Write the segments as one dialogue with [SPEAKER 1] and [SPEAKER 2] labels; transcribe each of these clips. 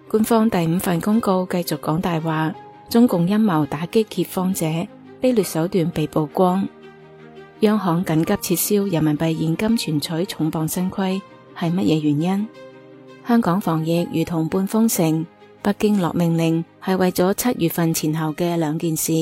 [SPEAKER 1] 官方第5份公告繼續講大話，中共陰謀打擊揭荒者，卑劣手段被曝光。央行緊急撤銷人民幣現金存取重磅新規，係乜嘢原因？香港防疫如同半封城，北京落命令係為咗7月份前後嘅2件事。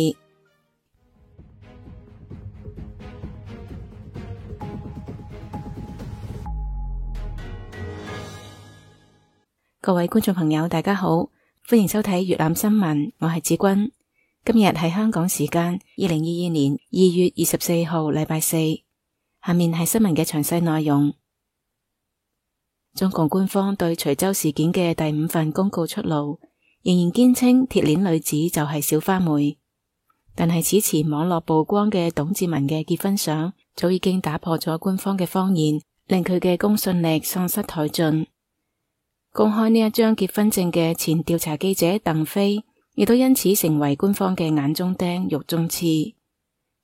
[SPEAKER 1] 各位觀眾朋友大家好，歡迎收睇粵覽新聞，我係子君。今日係香港時間2022年2月24號禮拜四，下面係新聞嘅詳細內容。中共官方對徐州事件嘅第5份公告出爐，仍然堅稱鐵鏈女子就係小花梅，但係此前網絡曝光嘅董志文嘅結婚相早已經打破咗官方嘅謊言，令佢嘅公信力喪失殆盡。公開呢一張結婚證嘅前調查記者鄧飛，亦都因此成為官方嘅眼中釘、肉中刺。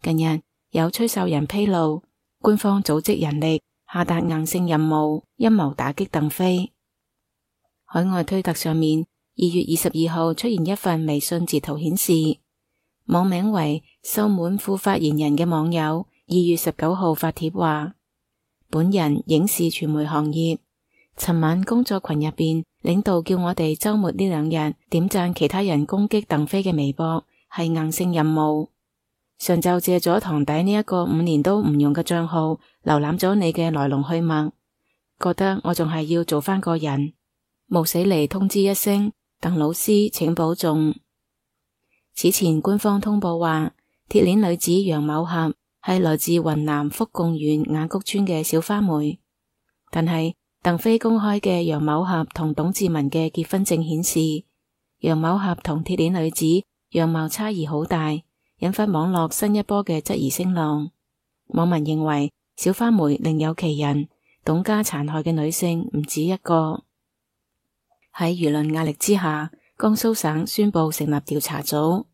[SPEAKER 1] 近日有吹哨人披露，官方組織人力下達硬性任務，陰謀打擊鄧飛。海外推特上面2月22號出現一份微信截圖顯示，網名為秀滿副發言人嘅網友2月19號發帖話，本人影視傳媒行業，尋晚工作群入邊，領導叫我哋周末呢2日點讚其他人攻擊鄧飛嘅微博，係硬性任務。上晝借咗堂弟呢一個5年都唔用嘅賬號，瀏覽咗你嘅來龍去脈，覺得我仲係要做翻個人，冒死嚟通知一聲，鄧老師請保重。此前官方通報話，鐵鏈女子楊某俠係來自雲南福貢縣雅谷村嘅小花梅，但係鄧飛公開嘅楊某俠同董志文嘅結婚證顯示，楊某俠同鐵鏈女子樣貌差異好大，引發網絡新一波嘅質疑聲浪。網民認為小花梅另有其人，董家殘害嘅女性唔止一個。喺輿論壓力之下，江蘇省宣布成立調查組，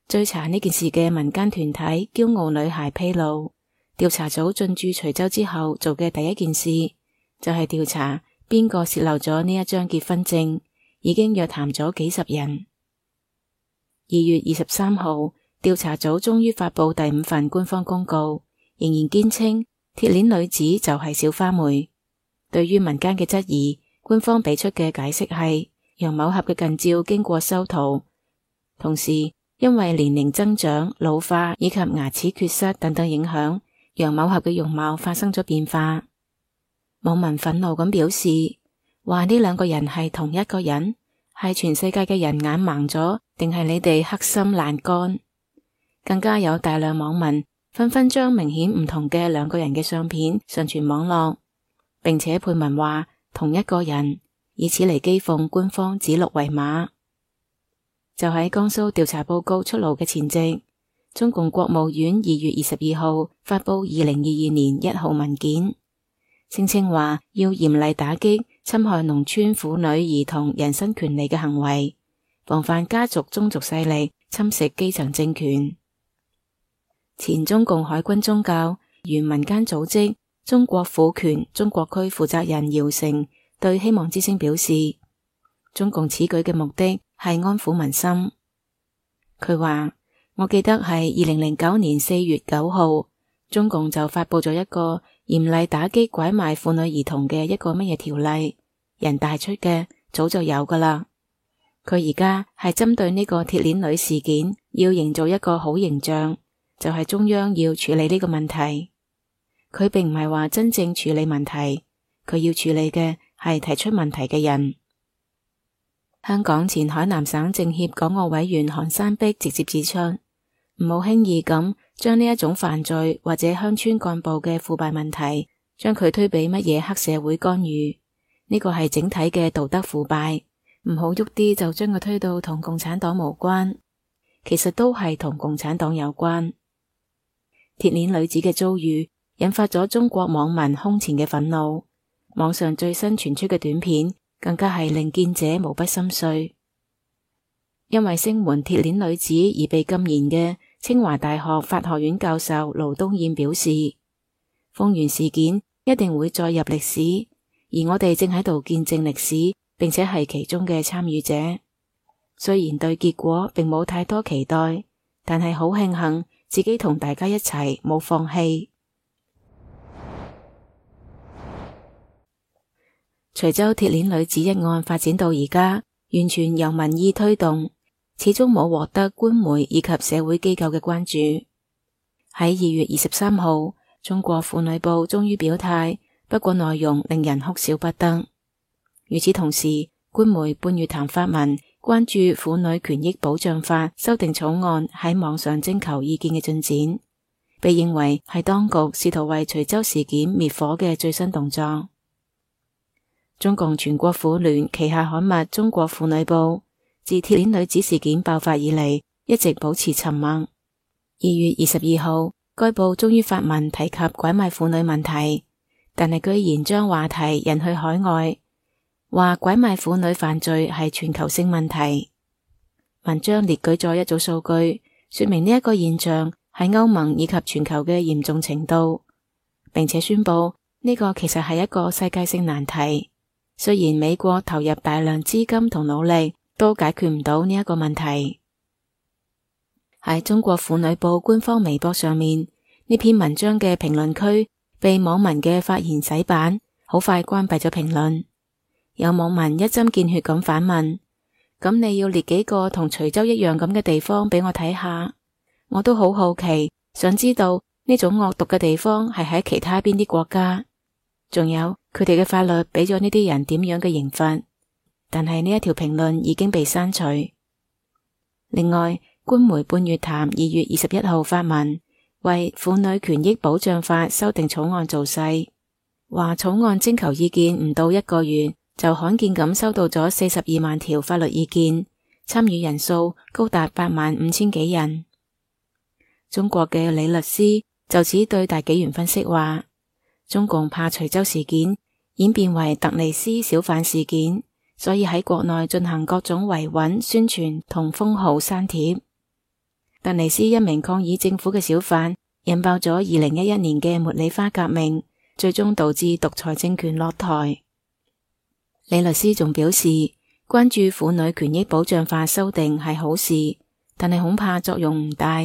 [SPEAKER 1] 追查呢件事嘅民間團體驕傲女孩披露，調查組進駐徐州之後做嘅第一件事就係調查邊個洩漏咗呢一張結婚證，已經約談咗幾十人。2月23號，調查組終於發佈第5份官方公告，仍然堅稱鐵鏈女子就係小花梅。對於民間嘅質疑，官方俾出嘅解釋係楊某俠嘅近照經過修圖，同時因為年齡增長、老化以及牙齒缺失等等影響，楊某俠嘅容貌發生咗變化。網民憤怒咁表示，話呢2個人係同一個人，係全世界嘅人眼盲咗，定係你哋黑心爛肝？更加有大量網民紛紛將明顯唔同嘅2個人嘅相片上傳網絡，並且配文話同一個人，以此嚟譏諷官方指鹿為馬。就喺江蘇調查報告出爐嘅前夕，中共國務院2月22號發佈2022年1號文件，聲稱話要嚴厲打擊侵害農村婦女兒童人身權利嘅行為，防範家族宗族勢力侵蝕基層政權。前中共海軍宗教原民間組織中國婦權中國區負責人姚成對希望之聲表示，中共此舉嘅目的係安撫民心。佢話，我記得係2009年4月9號，中共就發佈咗一個嚴厲打擊拐賣婦女兒童嘅一個乜嘢條例，人大出嘅，早就有噶啦。佢而家係針對呢個鐵鏈女事件，要營造一個好形象，就係中央要處理呢個問題。佢並唔係話真正處理問題，佢要處理嘅係提出問題嘅人。香港前海南省政協港澳委員韓山碧直接指出，唔好輕易咁將呢一種犯罪或者鄉村幹部嘅腐敗問題，將佢推俾乜嘢黑社會干預，呢個係整體嘅道德腐敗，唔好喐啲就將佢推到同共產黨無關，其實都係同共產黨有關。鐵鏈女子嘅遭遇引發咗中國網民空前嘅憤怒，網上最新傳出嘅短片更加係令見者無不心碎。因為聲援鐵鏈女子而被禁言嘅清華大學法學院教授盧東彥表示，豐原事件一定會載入歷史，而我哋正喺度見證歷史並且係其中嘅參與者。雖然對結果並冇太多期待，但係好慶幸自己同大家一齊冇放棄。徐州鐵鏈女子一案發展到而家，完全由民意推動，始終冇獲得官媒以及社會機構嘅關注。喺2月23號，中國婦女報終於表態，不過內容令人哭笑不得。與此同時，官媒半月談發文關注婦女權益保障法修訂草案喺網上徵求意見嘅進展，被認為係當局試圖為徐州事件滅火嘅最新動作。中共全國婦聯旗下刊物《中國婦女報》自鐵鏈女子事件爆發以嚟，一直保持沉默。2月22號，該報終於發文提及拐賣婦女問題，但係居然將話題引去海外，話拐賣婦女犯罪係全球性問題。文章列舉咗一組數據，說明呢一個現象喺歐盟以及全球嘅嚴重程度，並且宣布呢個其實係一個世界性難題。雖然美國投入大量資金同努力，都解決唔到呢一個問題。喺中國婦女報官方微博上面，呢篇文章嘅評論區被網民嘅發言洗版，好快關閉咗評論。有網民一針見血咁反問：咁你要列幾個同徐州一樣咁嘅地方俾我睇下？我都好好奇，想知道呢種惡毒嘅地方係喺其他邊啲國家？仲有佢哋嘅法律俾咗呢啲人點樣嘅刑罰？但係呢一條評論已經被刪除。另外，官媒半月談2月21號發文，為婦女權益保障法修訂草案造勢，話草案徵求意見唔到1個月，就罕見咁收到咗42萬條法律意見，參與人數高達85000幾人。中國嘅李律師就此對大紀元分析話，中共怕徐州事件演變為突尼斯小販事件，所以喺國內進行各種維穩宣傳同封號刪帖。突尼斯一名抗議政府嘅小販引爆咗2011年嘅茉莉花革命，最終導致獨裁政權落台。李律師仲表示，關注婦女權益保障法修訂係好事，但係恐怕作用唔大。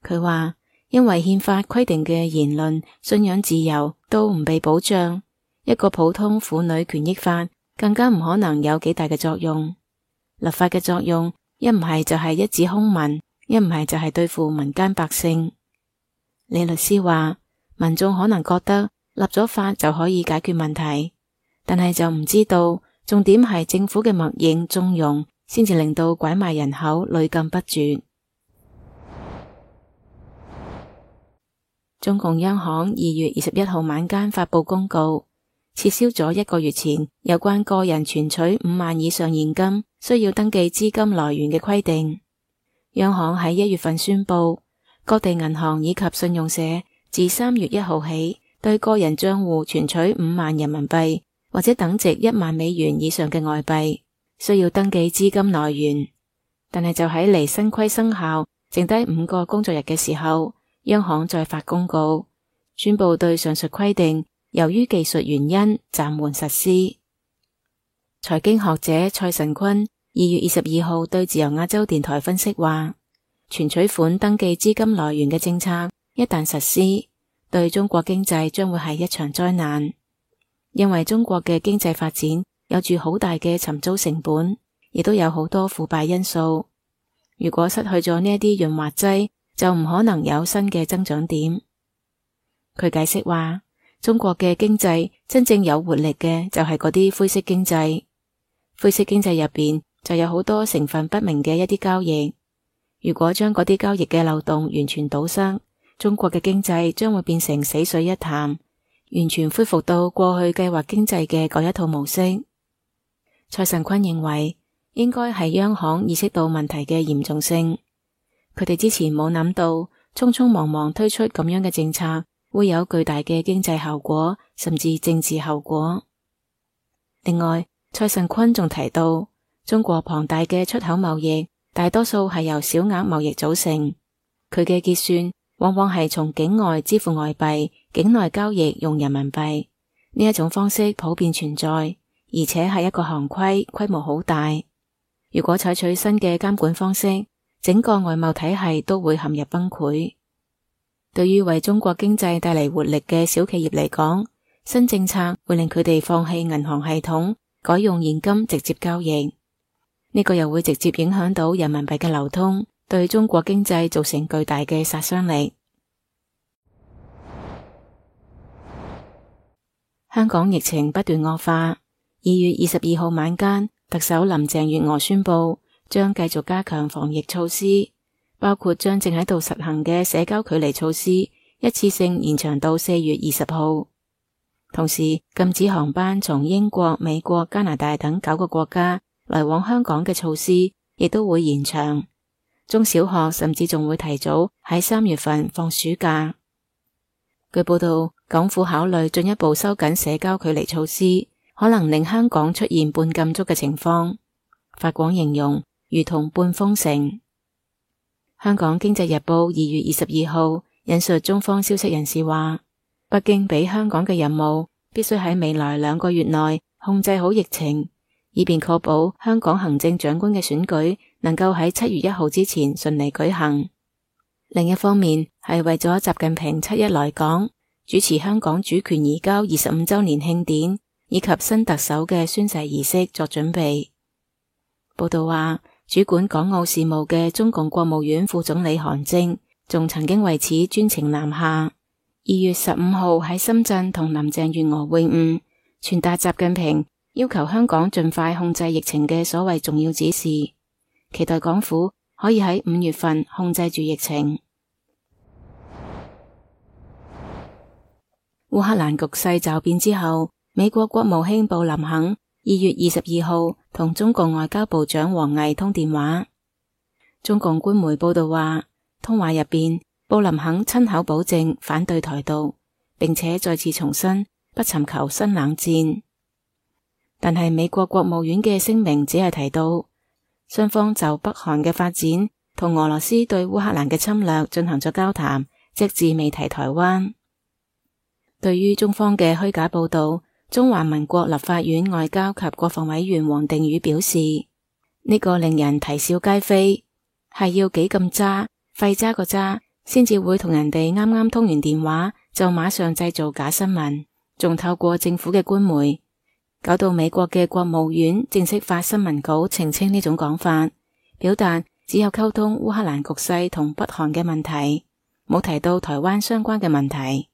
[SPEAKER 1] 佢話，因為憲法規定嘅言論、信仰自由都唔被保障，一個普通婦女權益法更加唔可能有幾大嘅作用。立法嘅作用，一唔係就係一紙空文，一唔係就係對付民間百姓。李律師話，民眾可能覺得立咗法就可以解決問題，但係就唔知道重點係政府嘅默認縱容，先至令到拐賣人口屢禁不絕。中共央行2月21號晚間發佈公告，撤銷咗1個月前有關個人存取5萬以上現金需要登記資金來源嘅規定。央行喺1月份宣布，各地銀行以及信用社自3月1號起，對個人賬戶存取5萬人民幣或者等值1萬美元以上嘅外幣，需要登記資金來源。但係就喺離新規生效剩低5個工作日嘅時候，央行再發公告，宣布對上述規定由於技術原因暫緩實施。財經學者蔡神坤2月22號對自由亞洲電台分析話，存取款登記資金來源嘅政策一旦實施，對中國經濟將會係一場災難，因為中國嘅經濟發展有住好大嘅尋租成本，亦都有好多腐敗因素。如果失去咗呢一啲潤滑劑，就唔可能有新嘅增長點。佢解釋話，中國嘅經濟真正有活力嘅就係嗰啲灰色經濟，灰色經濟入邊就有好多成分不明嘅一啲交易。如果將嗰啲交易嘅漏洞完全堵塞，中國嘅經濟將會變成死水一潭，完全恢復到過去計劃經濟嘅嗰一套模式。蔡神坤認為，應該係央行意識到問題嘅嚴重性。佢哋之前冇諗到，匆匆忙忙推出咁樣嘅政策，會有巨大嘅經濟效果，甚至政治後果。另外，蔡神坤仲提到，中國龐大嘅出口貿易，大多數係由小額貿易組成。佢嘅結算往往係從境外支付外幣，境內交易用人民幣。呢一種方式普遍存在，而且係一個行規，規模好大。如果採取新嘅監管方式，整個外貿體系都會陷入崩潰。對於為中國經濟帶嚟活力嘅小企業嚟講，新政策會令佢哋放棄銀行系統，改用現金直接交易。呢個又會直接影響到人民幣嘅流通，對中國經濟造成巨大嘅殺傷力。香港疫情不斷惡化。2月22號晚間，特首林鄭月娥宣布將繼續加強防疫措施，包括將正喺度實行嘅社交距離措施一次性延長到4月20號。同時禁止航班從英國、美國、加拿大等9個國家來往香港嘅措施亦都會延長。中小學甚至仲會提早喺3月份放暑假。據報道，港府考慮進一步收緊社交距離措施，可能令香港出現半禁足嘅情況。法廣形容如同半封城。香港經濟日報2月22號引述中方消息人士話，北京俾香港嘅任務必須喺未來2個月內控制好疫情，以便確保香港行政長官嘅選舉能夠喺7月1號之前順利舉行。另一方面係為咗習近平7一來港主持香港主權移交25週年慶典以及新特首嘅宣誓儀式作準備。報道話，主管港澳事務嘅中共國務院副總理韓正仲曾經為此專程南下。2月15號喺深圳同林鄭月娥會晤，傳達習近平要求香港盡快控制疫情嘅所謂重要指示，期待港府可以喺5月份控制住疫情。烏克蘭局勢驟變之後，美國國務卿布林肯2月22號同中共外交部長王毅通電話。中共官媒報道話，通話入邊，布林肯親口保證反對台獨，並且再次重申不尋求新冷戰。但係美國國務院嘅聲明只係提到，雙方就北韓嘅發展同俄羅斯對烏克蘭嘅侵略進行咗交談，隻字未提台灣。對於中方嘅虛假報道，中華民國立法院外交及國防委員王定宇表示，呢個令人啼笑皆非，係要幾咁渣，廢渣個渣，先至會同人哋啱啱通完電話就馬上製造假新聞，仲透過政府嘅官媒，搞到美國嘅國務院正式發新聞稿澄清呢種講法，表達只有溝通烏克蘭局勢同北韓嘅問題，冇提到台灣相關嘅問題。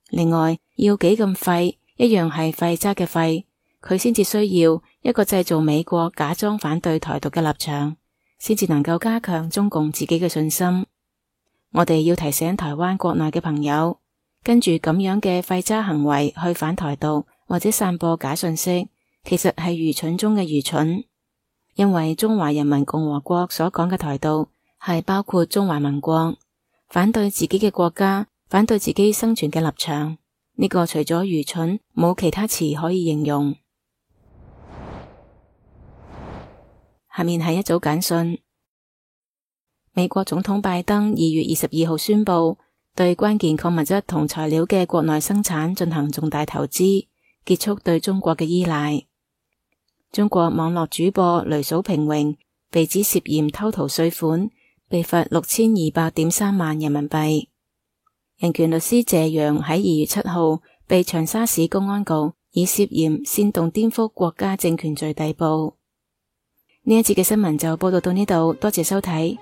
[SPEAKER 1] 另外，要幾咁廢，一樣係廢渣嘅廢，佢先至需要一個製造美國假裝反對台獨嘅立場，先至能夠加強中共自己嘅信心。我哋要提醒台灣國內嘅朋友，跟住咁樣嘅廢渣行為去反台獨或者散播假信息，其實係愚蠢中嘅愚蠢。因為中華人民共和國所講嘅台獨係包括中華民國，反對自己嘅國家，反對自己生存嘅立場，呢個除咗愚蠢，冇其他詞可以形容。下面係一組簡訊。美國總統拜登2月22號宣布，對關鍵礦物質同材料嘅國內生產進行重大投資，結束對中國嘅依賴。中國網絡主播雷嫂平榮被指涉嫌偷逃稅款，被罰6200.3萬人民幣。人權律師謝陽喺2月7號被長沙市公安局以涉嫌煽動顛覆國家政權罪逮捕。呢一節嘅新聞就報道到呢度，多謝收睇。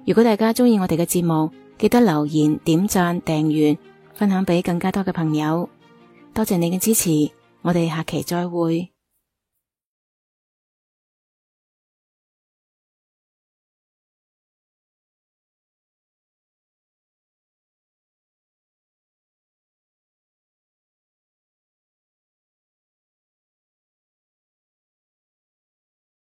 [SPEAKER 1] 如果大家鍾意我哋嘅節目，記得留言、點讚、訂閱、分享俾更加多嘅朋友。多謝你嘅支持，我哋下期再會。